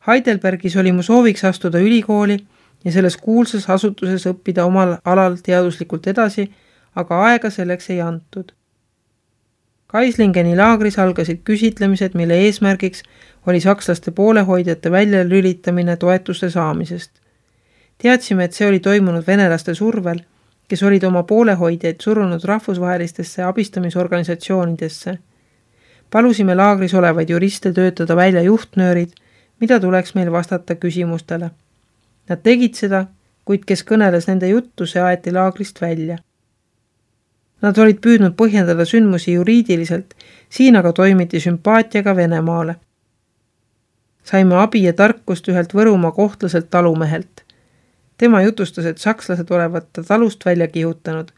Heidelbergis oli mu sooviks astuda ülikooli ja selles kuulsas asutuses õppida omal alal teaduslikult edasi, aga aega selleks ei antud. Kaislingeni laagris algasid küsitlemised, mille eesmärgiks oli sakslaste poolehoidjate väljalülitamine toetuste saamisest. Teadsime, et see oli toimunud venelaste survel, kes olid oma poolehoidjaid surunud rahvusvahelistesse abistamisorganisatsioonidesse. Palusime laagris olevaid juriste töötada välja juhtnöörid, mida tuleks meil vastata küsimustele. Nad tegid seda, kuid kes kõneles nende juttu, see aeti laagrist välja. Nad olid püüdnud põhjendada sündmusi juriidiliselt, siin aga toimiti sümpaatiaga Venemaale. Saime abi ja tarkust ühelt Võrumaa kohtlaselt talumehelt. Tema jutustas, et sakslased olevat ta talust välja kihutanud.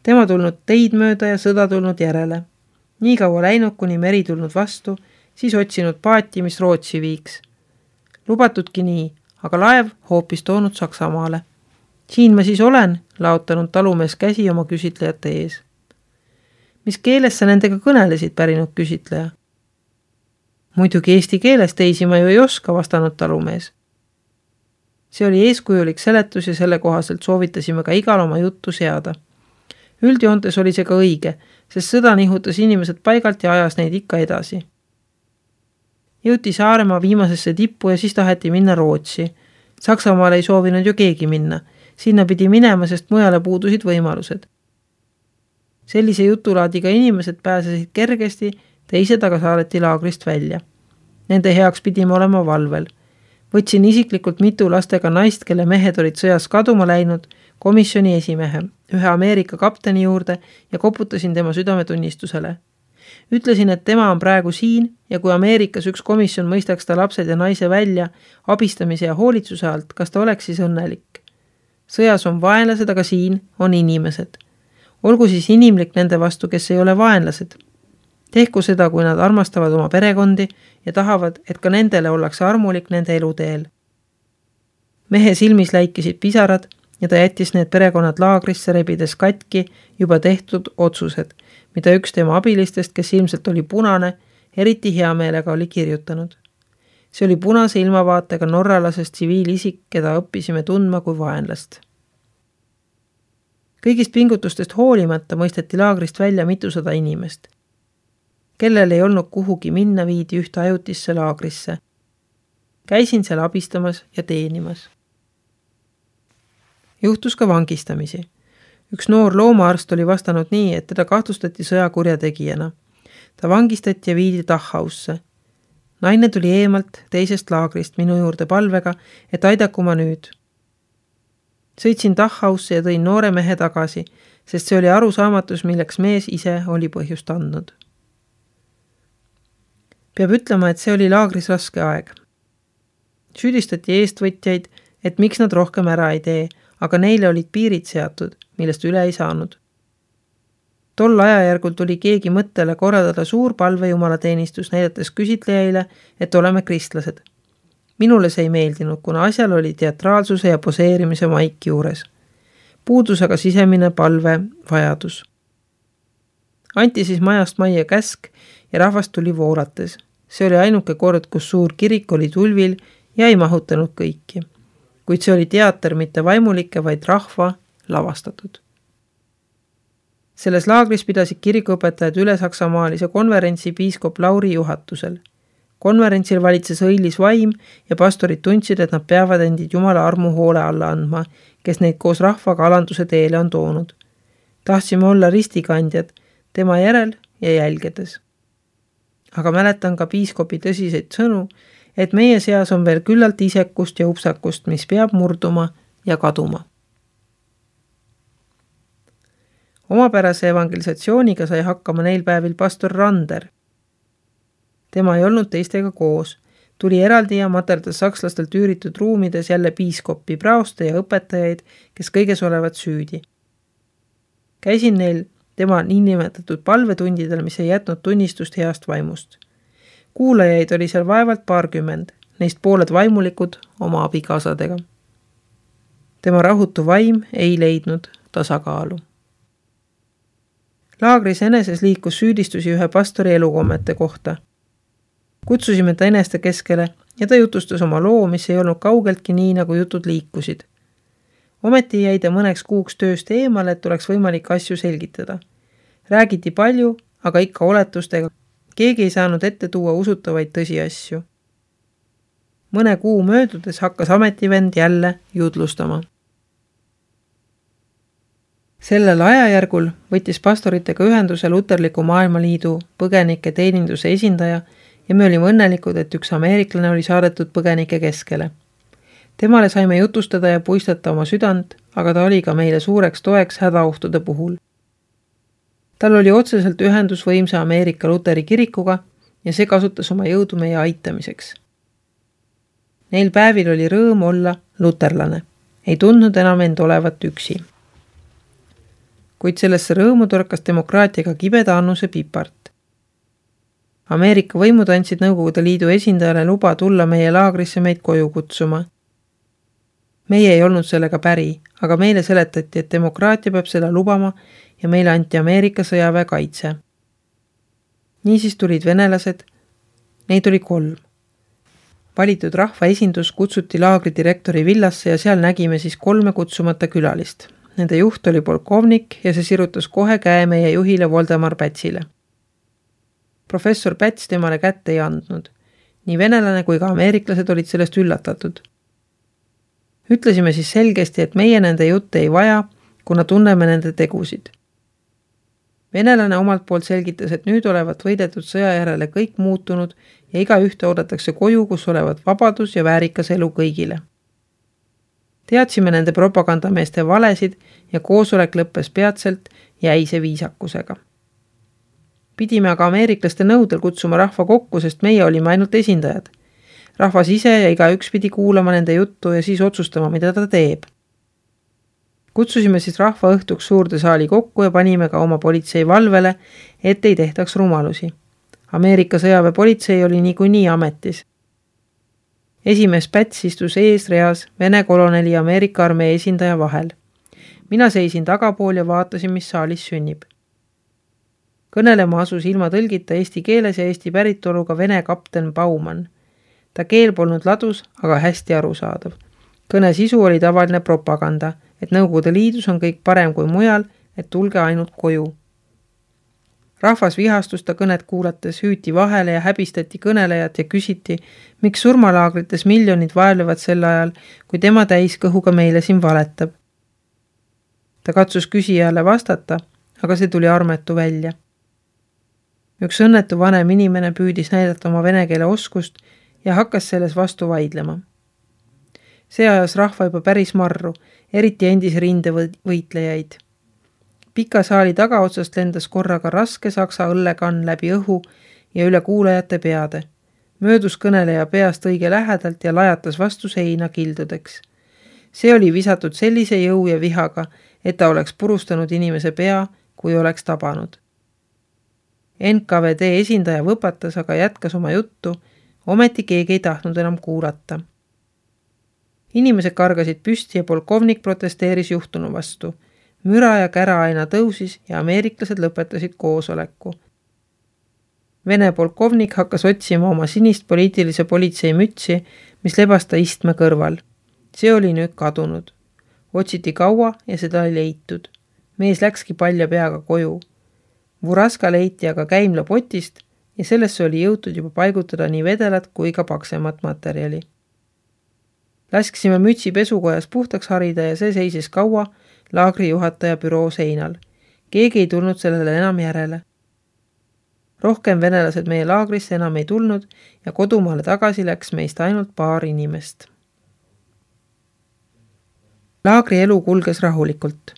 Tema tulnud teid mööda ja sõda tulnud järele. Nii kaua läinud, kuni meri tulnud vastu, siis otsinud paati, mis Rootsi viiks. Lubatudki nii, aga laev hoopis toonud Saksamaale. Siin ma siis olen, laotanud talumees käsi oma küsitlejate ees. Mis keeles sa nendega kõnelesid, pärinud küsitleja? Muidugi eesti keeles, teisi ma ju ei oska, vastanud talumees. See oli eeskujulik seletus ja selle kohaselt soovitasime ka igal oma juttu seada. Üldjoontes oli see ka õige, sest sõda nihutas inimesed paigalt ja ajas neid ikka edasi. Jõuti Saaremaa viimasesse tippu ja siis taheti minna Rootsi. Saksamaale ei soovinud ju keegi minna. Sinna pidi minema, sest mujale puudusid võimalused. Sellise jutulaadiga inimesed pääsesid kergesti, teised aga saadeti laagrist välja. Nende heaks pidime olema valvel. Võtsin isiklikult mitu lastega naist, kelle mehed olid sõjas kaduma läinud, komisjoni esimehe, ühe Ameerika kapteni juurde ja koputasin tema südametunnistusele. Ütlesin, et tema on praegu siin ja kui Ameerikas üks komisjon mõistaks ta lapsed ja naise välja abistamise ja hoolitsuse alt, kas ta oleks siis õnnelik. Sõjas on vaenlased, aga siin on inimesed. Olgu siis inimlik nende vastu, kes ei ole vaenlased. Tehku seda, kui nad armastavad oma perekondi ja tahavad, et ka nendele ollakse armulik nende eluteel. Mehe silmis läikisid pisarad ja ta jättis need perekonnad laagrisse rebides katki juba tehtud otsused, mida üks tema abilistest, kes ilmselt oli punane, eriti hea meelega oli kirjutanud. See oli punase ilmavaatega norralasest tsiviilisik, keda õppisime tundma kui vaenlast. Kõigist pingutustest hoolimata mõisteti laagrist välja mitusada inimest. Kellel ei olnud kuhugi minna, viidi ühte ajutisse laagrisse. Käisin seal abistamas ja teenimas. Juhtus ka vangistamisi. Üks noor loomaarst oli vastanud nii, et teda kahtlustati sõjakurjategijana. Ta vangistati ja viidi Dachausse. Naine tuli eemalt teisest laagrist minu juurde palvega, et aidaku ma nüüd. Sõitsin Dachausse ja tõin noore mehe tagasi, sest see oli arusaamatus, milleks mees ise oli põhjust andnud. Peab ütlema, et see oli laagris raske aeg. Süüdistati eestvõtjaid, et miks nad rohkem ära ei tee, aga neile olid piirid seatud, millest üle ei saanud. Tol ajajärgul tuli keegi mõttele korraldada suur palvejumalateenistus, näidates küsitlejaile, et oleme kristlased. Minule see ei meeldinud, kuna asjal oli teatraalsuse ja poseerimise maik juures. Puudus aga sisemine palve vajadus. Anti siis majast majja käsk ja rahvast tuli voolates. See oli ainuke kord, kus suur kirik oli tulvil ja ei mahutanud kõiki. Kuid see oli teater, mitte vaimulike, vaid rahva lavastatud. Selles laagris pidasid kirikuõpetajad üle Saksamaalise konverentsi piiskop Lauri juhatusel. Konverentsil valitses õilis vaim ja pastorid tundsid, et nad peavad endid Jumala armu hoole alla andma, kes neid koos rahvaga alanduse teele on toonud. Tahtsime olla ristikandjad, tema järel ja jälgedes. Aga mäletan ka piiskopi tõsiseid sõnu, et meie seas on veel küllalt isekust ja upsakust, mis peab murduma ja kaduma. Omapärase evangelisatsiooniga sai hakkama neil päevil pastor Rander. Tema ei olnud teistega koos. Tuli eraldi ja materdas sakslastelt üüritud ruumides jälle piiskoppi, praoste ja õpetajaid, kes kõiges olevat süüdi. Käisin neil tema niinimetatud palvetundidel, mis ei jätnud tunnistust heast vaimust. Kuulajaid oli seal vaevalt 20, neist pooled vaimulikud oma abikaasadega. Tema rahutu vaim ei leidnud tasakaalu. Laagris eneses liikus süüdistusi ühe pastori elukommete kohta. Kutsusime ta eneste keskele ja ta jutustas oma loo, mis ei olnud kaugeltki nii, nagu jutud liikusid. Ometi jäi ta mõneks kuuks tööst eemale, et oleks võimalik asju selgitada. Räägiti palju, aga ikka oletustega. Keegi ei saanud ette tuua usutavaid tõsiasju. Mõne kuu möödudes hakkas ametivend jälle jutlustama. Sellel ajajärgul võttis pastoritega ühenduse Luterliku Maailmaliidu põgenike teeninduse esindaja ja me olime õnnelikud, et üks ameeriklane oli saadetud põgenike keskele. Temale saime jutustada ja puistata oma südant, aga ta oli ka meile suureks toeks hädaohtude puhul. Tal oli otseselt ühendus võimsa Ameerika Luteri kirikuga ja see kasutas oma jõudu meie aitamiseks. Neil päevil oli rõõm olla luterlane, ei tundnud enam end olevat üksi. Kuid sellesse rõõmu torkas demokraatiaga kibeda annuse pipart. Ameerika võimud andsid Nõukogude Liidu esindajale luba tulla meie laagrisse meid koju kutsuma. Meie ei olnud sellega päri, aga meile seletati, et demokraatia peab seda lubama ja meile anti Ameerika sõjaväe kaitse. Niisiis tulid venelased, neid oli 3. Valitud rahvaesindus kutsuti laagri direktori villasse ja seal nägime siis 3 kutsumata külalist. Nende juht oli polkovnik ja see sirutas kohe käe meie juhile Voldemar Pätsile. Professor Päts temale kätte ei andnud. Nii venelane kui ka ameeriklased olid sellest üllatatud. Ütlesime siis selgesti, et meie nende jutte ei vaja, kuna tunneme nende tegusid. Venelane omalt poolt selgitas, et nüüd olevat võidetud sõja järele kõik muutunud ja iga ühte oodatakse koju, kus olevat vabadus ja väärikas elu kõigile. Teadsime nende propagandameeste valesid ja koosolek lõppes peatselt jäise viisakusega. Pidime aga ameeriklaste nõudel kutsuma rahva kokku, sest meie olime ainult esindajad. Rahvas ise ja igaüks pidi kuulama nende juttu ja siis otsustama, mida ta teeb. Kutsusime siis rahva õhtuks suurde saali kokku ja panime ka oma politsei valvele, et ei tehtaks rumalusi. Ameerika sõjaväepolitsei oli niikuinii ametis. Esimees Päts istus eesreas Vene koloneli ja Ameerika armee esindaja vahel. Mina seisin tagapool ja vaatasin, mis saalis sünnib. Kõnelema asus ilma tõlgita eesti keeles ja eesti päritoluga Vene kapten Baumann. Ta keel polnud ladus, aga hästi arusaadav. Kõne sisu oli tavaline propaganda, et Nõukogude Liidus on kõik parem kui mujal, et tulge ainult koju. Rahvas vihastus ta kõnet kuulates, hüüti vahele ja häbistati kõnelejat ja küsiti, miks surmalaagrites miljonid vaevlevad sel ajal, kui tema täiskõhuga meile siin valetab. Ta katsus küsijale vastata, aga see tuli armetu välja. Üks õnnetu vanem inimene püüdis näidata oma vene keele oskust ja hakkas selles vastu vaidlema. See ajas rahva juba päris marru, eriti endis rindevõitlejaid. Pika saali tagaotsast lendas korraga raske saksa õllekann läbi õhu ja üle kuulajate peade. Möödus kõneleja peast õige lähedalt ja lajatas vastu seina kildudeks. See oli visatud sellise jõu ja vihaga, et ta oleks purustanud inimese pea, kui oleks tabanud. NKVD esindaja võpatas, aga jätkas oma juttu, ometi keegi ei tahtnud enam kuulata. Inimesed kargasid püsti ja polkovnik protesteeris juhtunu vastu. Müra ja kära aina tõusis ja ameeriklased lõpetasid koosoleku. Vene polkovnik hakkas otsima oma sinist poliitilise politsei mütsi, mis lebas ta istme kõrval. See oli nüüd kadunud. Otsiti kaua ja seda ei leitud. Mees läkski palja peaga koju. Vuraska leiti aga käimla potist ja sellesse oli jõutud juba paigutada nii vedelat kui ka paksemat materjali. Laskisime mütsi pesukojas puhtaks harida ja see seisis kaua laagri juhataja büroo seinal. Keegi ei tulnud sellele enam järele. Rohkem venelased meie laagrisse enam ei tulnud ja kodumaale tagasi läks meist ainult paar inimest. Laagri elu kulges rahulikult.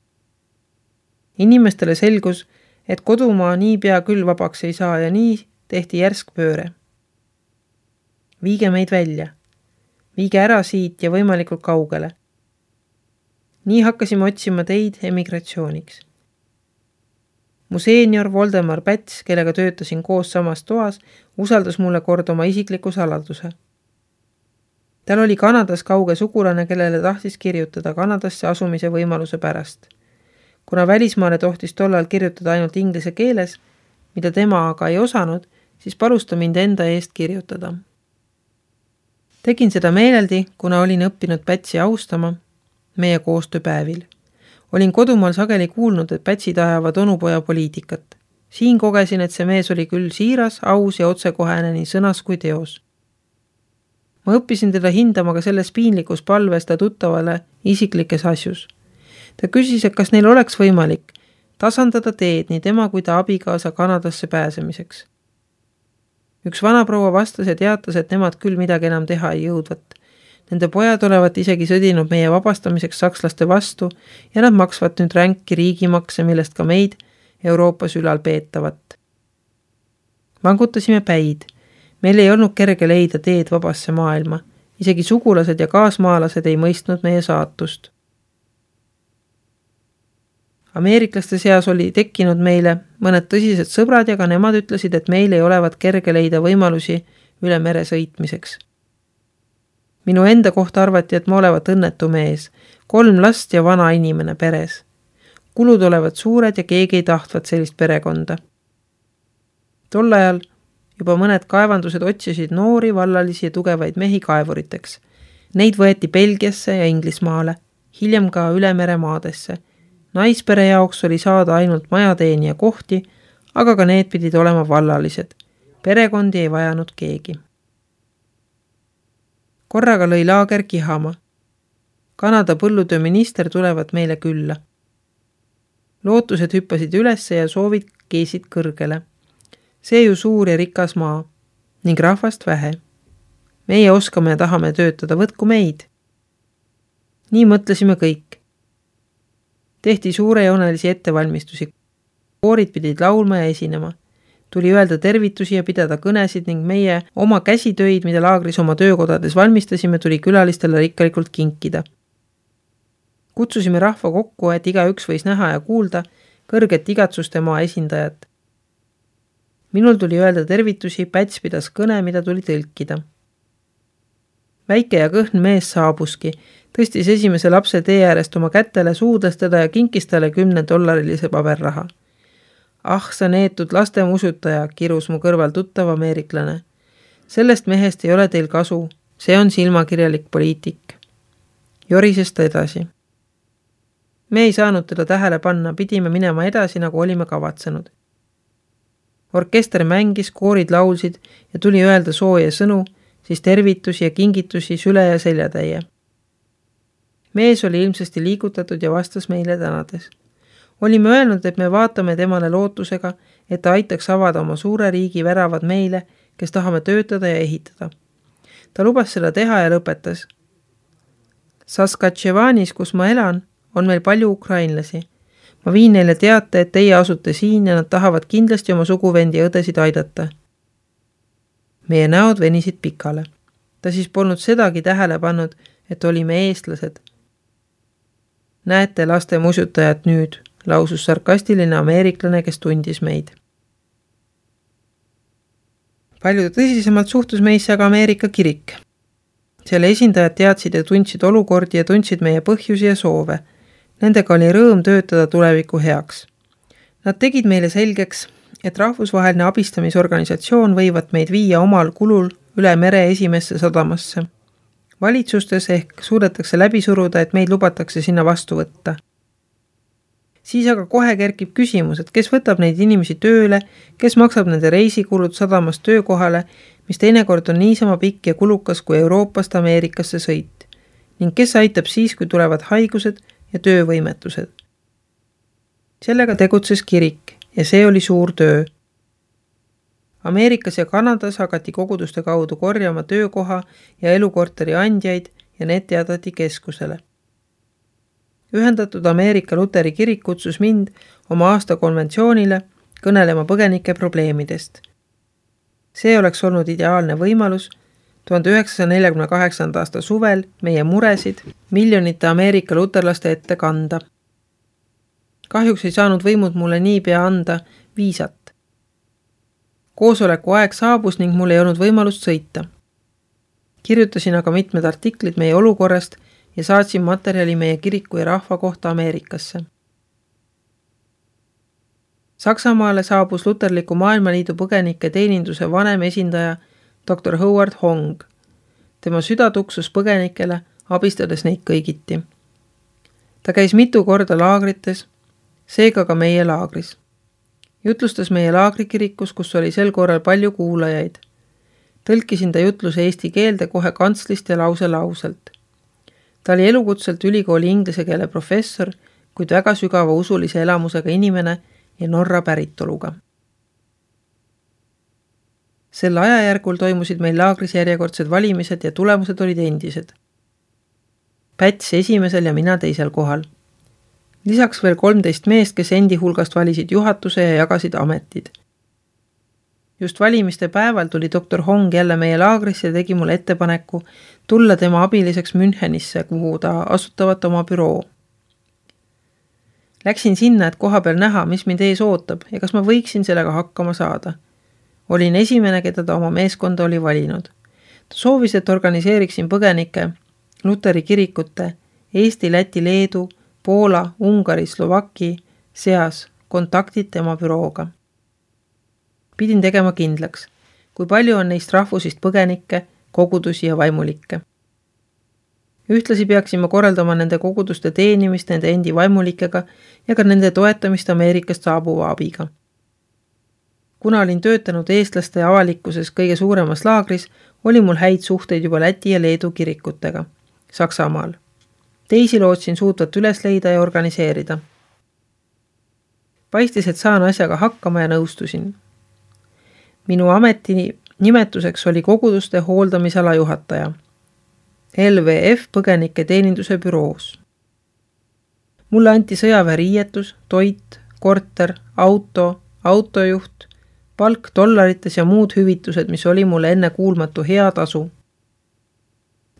Inimestele selgus, et kodumaa nii pea küll vabaks ei saa ja nii tehti järsk pööre. Viige meid välja. Viige ära siit ja võimalikult kaugele. Nii hakkasime otsima teid emigratsiooniks. Mu seenior Voldemar Päts, kellega töötasin koos samas toas, usaldas mulle kord oma isikliku saladuse. Tal oli Kanadas kauge sugulane, kellele tahtis kirjutada Kanadasse asumise võimaluse pärast. Kuna välismaale tohtis tollal kirjutada ainult inglise keeles, mida tema aga ei osanud, siis palus ta mind enda eest kirjutada. Tegin seda meeleldi, kuna olin õppinud Pätsi austama meie koostööpäevil. Olin kodumaal sageli kuulnud, et Pätsid ajavad onupoja poliitikat. Siin kogesin, et see mees oli küll siiras, aus ja otsekohene nii sõnas kui teos. Ma õppisin teda hindama ka selles piinlikus palves ta tuttavale isiklikes asjus. Ta küsis, et kas neil oleks võimalik tasandada teed nii tema kui ta abikaasa Kanadasse pääsemiseks. Üks vanaproua vastas ja teatas, et nemad küll midagi enam teha ei jõudvat. Nende pojad olevat isegi sõdinud meie vabastamiseks sakslaste vastu ja nad maksvad nüüd ränki riigimakse, millest ka meid Euroopas ülal peetavat. Vangutasime päid. Meil ei olnud kerge leida teed vabasse maailma. Isegi sugulased ja kaasmaalased ei mõistnud meie saatust. Ameeriklaste seas oli tekkinud meile mõned tõsised sõbrad ja ka nemad ütlesid, et meil ei olevat kerge leida võimalusi üle mere sõitmiseks. Minu enda kohta arvati, et ma olevat õnnetu mees, 3 last ja vana inimene peres. Kulud olevat suured ja keegi ei tahtvat sellist perekonda. Tol ajal juba mõned kaevandused otsisid noori, vallalisi ja tugevaid mehi kaevuriteks. Neid võeti Belgiasse ja Inglismaale, hiljem ka üle mere maadesse. Naispere jaoks oli saada ainult majateenija kohti, aga ka need pidid olema vallalised. Perekondi ei vajanud keegi. Korraga lõi laager kihama. Kanada põllutööminister tulevat meile külla. Lootused hüppasid ülesse ja soovid keesid kõrgele. See ju suur ja rikas maa ning rahvast vähe. Meie oskame ja tahame töötada, võtku meid. Nii mõtlesime kõik. Tehti suurejoonelisi ettevalmistusi. Koorid pidid laulma ja esinema. Tuli öelda tervitusi ja pidada kõnesid ning meie oma käsitöid, mida laagris oma töökodades valmistasime, tuli külalistele rikkalikult kinkida. Kutsusime rahva kokku, et igaüks võis näha ja kuulda kõrget igatsuste maa esindajat. Minul tuli öelda tervitusi, Päts pidas kõne, mida tuli tõlkida. Väike ja kõhn mees saabuski, tõstis esimese lapse tee äärest oma kätele, suudles teda ja kinkis talle $10 paberraha. Ah, sa neetud lastemusutaja, kirus mu kõrval tuttav ameeriklane. Sellest mehest ei ole teil kasu, see on silmakirjalik poliitik. Jorises ta edasi. Me ei saanud teda tähele panna, pidime minema edasi, nagu olime kavatsenud. Orkester mängis, koorid laulsid ja tuli öelda sooja sõnu, siis tervitusi ja kingitusi süle ja seljatäie. Mees oli ilmsesti liigutatud ja vastas meile tänades. Olime öelnud, et me vaatame temale lootusega, et ta aitaks avada oma suure riigi väravad meile, kes tahame töötada ja ehitada. Ta lubas seda teha ja lõpetas. Saskatchewanis, kus ma elan, on meil palju ukrainlasi. Ma viin neile teate, et teie asute siin ja nad tahavad kindlasti oma suguvendi ja õdesid aidata. Meie näod venisid pikale. Ta siis polnud sedagi tähele pannud, et olime eestlased. Näete laste musutajat nüüd, lausus sarkastiline ameeriklane, kes tundis meid. Palju tõsisemalt suhtus meisse aga Ameerika kirik. Selle esindajad teadsid ja tundsid olukordi ja tundsid meie põhjusi ja soove. Nendega oli rõõm töötada tuleviku heaks. Nad tegid meile selgeks, et rahvusvaheline abistamisorganisatsioon võivad meid viia omal kulul üle mere esimesse sadamasse. Valitsustes ehk suudetakse läbi suruda, et meid lubatakse sinna vastu võtta. Siis aga kohe kerkib küsimus, et kes võtab neid inimesi tööle, kes maksab nende reisikulud sadamast töökohale, mis teinekord on niisama pikk ja kulukas kui Euroopast Ameerikasse sõit, ning kes aitab siis, kui tulevad haigused ja töövõimetused. Sellega tegutses kirik ja see oli suur töö. Ameerikas ja Kanadas hakati koguduste kaudu korjama töökoha ja elukorteri andjaid ja need teadati keskusele. Ühendatud Ameerika Luteri kirik kutsus mind oma aastakonventsioonile kõnelema põgenike probleemidest. See oleks olnud ideaalne võimalus 1948. aasta suvel meie muresid miljonite Ameerika luterlaste ette kanda. Kahjuks ei saanud võimud mulle niipea anda viisat. Koosoleku aeg saabus ning mul ei olnud võimalust sõita. Kirjutasin aga mitmed artiklid meie olukorrast ja saatsin materjali meie kiriku ja rahva kohta Ameerikasse. Saksamaale saabus Luterliku Maailmaliidu põgenike teeninduse vanem esindaja Dr. Howard Hong. Tema süda tuksus põgenikele, abistades neid kõigiti. Ta käis mitu korda laagrites, seega ka meie laagris. Jutlustas meie laagrikirikus, kus oli sel korral palju kuulajaid. Tõlkisin ta jutluse eesti keelde kohe kantslist ja lauselt. Ta oli elukutselt ülikooli inglise keele professor, kuid väga sügava usulise elamusega inimene ja Norra päritoluga. Sel ajajärgul toimusid meil laagris järjekordsed valimised ja tulemused olid endised. Päts esimesel ja mina teisel kohal. Lisaks veel 13 meest, kes endi hulgast valisid juhatuse ja jagasid ametid. Just valimiste päeval tuli doktor Hong jälle meie laagrisse ja tegi mulle ettepaneku tulla tema abiliseks Münchenisse, kuhu ta asutavat oma büroo. Läksin sinna, et koha peal näha, mis mind ees ootab ja kas ma võiksin sellega hakkama saada. Olin esimene, keda ta oma meeskonda oli valinud. Ta soovis, et organiseeriksin põgenike, Luteri kirikute, Eesti, Läti, Leedu, Poola, Ungari, Slovaki seas kontaktid tema bürooga. Pidin tegema kindlaks, kui palju on neist rahvusist põgenikke, kogudusi ja vaimulikke. Ühtlasi peaksime korraldama nende koguduste teenimist nende endi vaimulikega ja ka nende toetamist Ameerikast saabuva abiga. Kuna olin töötanud eestlaste avalikkuses kõige suuremas laagris, oli mul häid suhteid juba Läti ja Leedu kirikutega Saksamaal. Teisi lootsin suutvat üles leida ja organiseerida. Paistis, et saan asjaga hakkama ja nõustusin. Minu ameti nimetuseks oli koguduste hooldamisala juhataja. LVF põgenike teeninduse büroos. Mulle anti sõjaväeriietus, toit, korter, autojuht, palk dollarites ja muud hüvitused, mis oli mulle enne kuulmatu hea tasu.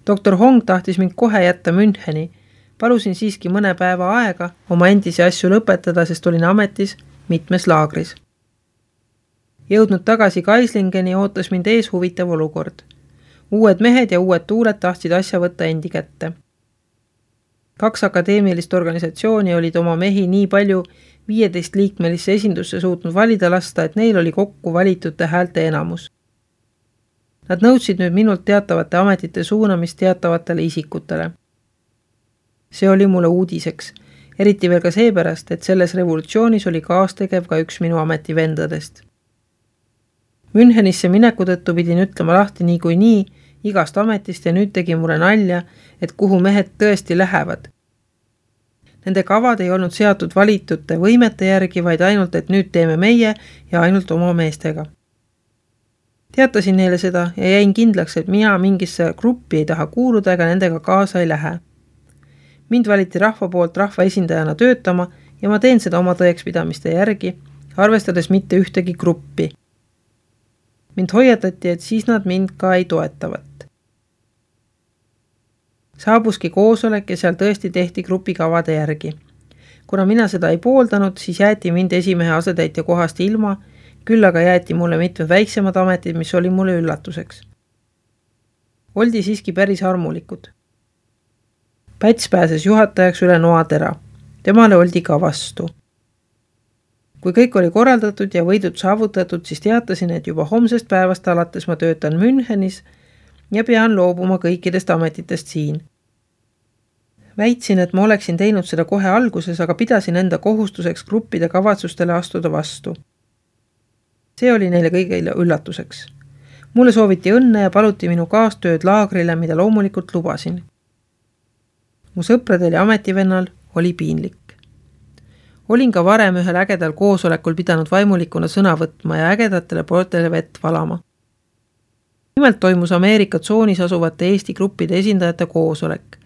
Doktor Hong tahtis mind kohe jätta Müncheni. Palusin siiski mõne päeva aega oma endisi asju lõpetada, sest olin ametis mitmes laagris. Jõudnud tagasi Kaislingeni ootas mind ees huvitav olukord. Uued mehed ja uued tuuled tahtsid asja võtta endi kätte. 2 akadeemilist organisatsiooni olid oma mehi nii palju 15-liikmelisse esindusse suutnud valida lasta, et neil oli kokku valitute häälte enamus. Nad nõudsid nüüd minult teatavate ametite suunamist teatavatele isikutele. See oli mulle uudiseks, eriti veel ka seepärast, et selles revolutsioonis oli kaastegev ka üks minu ametivendadest. Münchenisse mineku tõttu pidin ütlema lahti nii igast ametist ja nüüd tegi mulle nalja, et kuhu mehed tõesti lähevad. Nende kavad ei olnud seatud valitute võimete järgi, vaid ainult, et nüüd teeme meie ja ainult oma meestega. Teatasin neile seda ja jäin kindlaks, et mina mingisse gruppi ei taha kuuluda ega nendega kaasa ei lähe. Mind valiti rahva poolt rahva esindajana töötama ja ma teen seda oma tõekspidamiste järgi, arvestades mitte ühtegi gruppi. Mind hoiatati, et siis nad mind ka ei toetavat. Saabuski koosolek ja seal tõesti tehti grupi kavade järgi. Kuna mina seda ei pooldanud, siis jäeti mind esimehe asetäitja kohast ilma, küll aga jäeti mulle mitmed väiksemad ametid, mis oli mulle üllatuseks. Oldi siiski päris armulikud. Päts pääses juhatajaks üle noatera. Temale oldi ka vastu. Kui kõik oli korraldatud ja võidud saavutatud, siis teatasin, et juba homsest päevast alates ma töötan Münchenis ja pean loobuma kõikidest ametitest siin. Väitsin, et ma oleksin teinud seda kohe alguses, aga pidasin enda kohustuseks gruppide kavatsustele astuda vastu. See oli neile kõigile üllatuseks. Mulle sooviti õnne ja paluti minu kaastööd laagrile, mida loomulikult lubasin. Mu sõpradel ja ametivennal oli piinlik. Olin ka varem ühel ägedal koosolekul pidanud vaimulikuna sõna võtma ja ägedatele pooltele vett valama. Nimelt toimus Ameerika tsoonis asuvate Eesti gruppide esindajate koosolek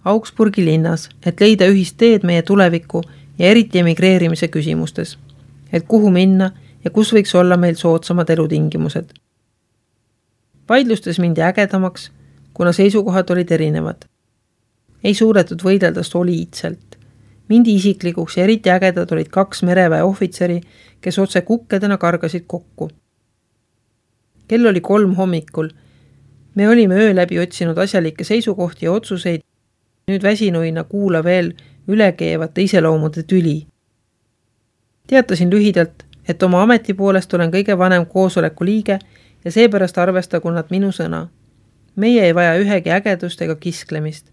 Augsburgi linnas, et leida ühist teed meie tuleviku ja eriti emigreerimise küsimustes, et kuhu minna ja kus võiks olla meil soodsamad elutingimused. Vaidlustes mindi ägedamaks, kuna seisukohad olid erinevad. Ei suudetud võidelda soliidselt. Mindi isiklikuks ja eriti ägedad olid 2 mereväe ohvitseri, kes otse kukkedena kargasid kokku. Kell oli 3 hommikul. Me olime öö läbi otsinud asjalikke seisukohti ja otsuseid, nüüd väsinuina kuula veel ülekeevate iseloomude tüli. Teatasin lühidalt, et oma ameti poolest olen kõige vanem koosoleku liige ja seepärast arvestagu nad minu sõna. Meie ei vaja ühegi ägedust ega kisklemist.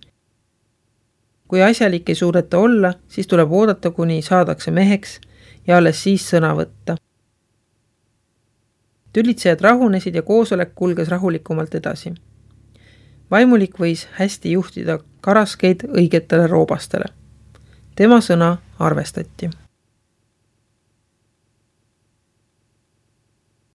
Kui asjalik ei suudeta olla, siis tuleb oodata, kuni saadakse meheks ja alles siis sõna võtta. Tülitsejad rahunesid ja koosolek kulges rahulikumalt edasi. Vaimulik võis hästi juhtida karaskeid õigetele roobastele. Tema sõna arvestati.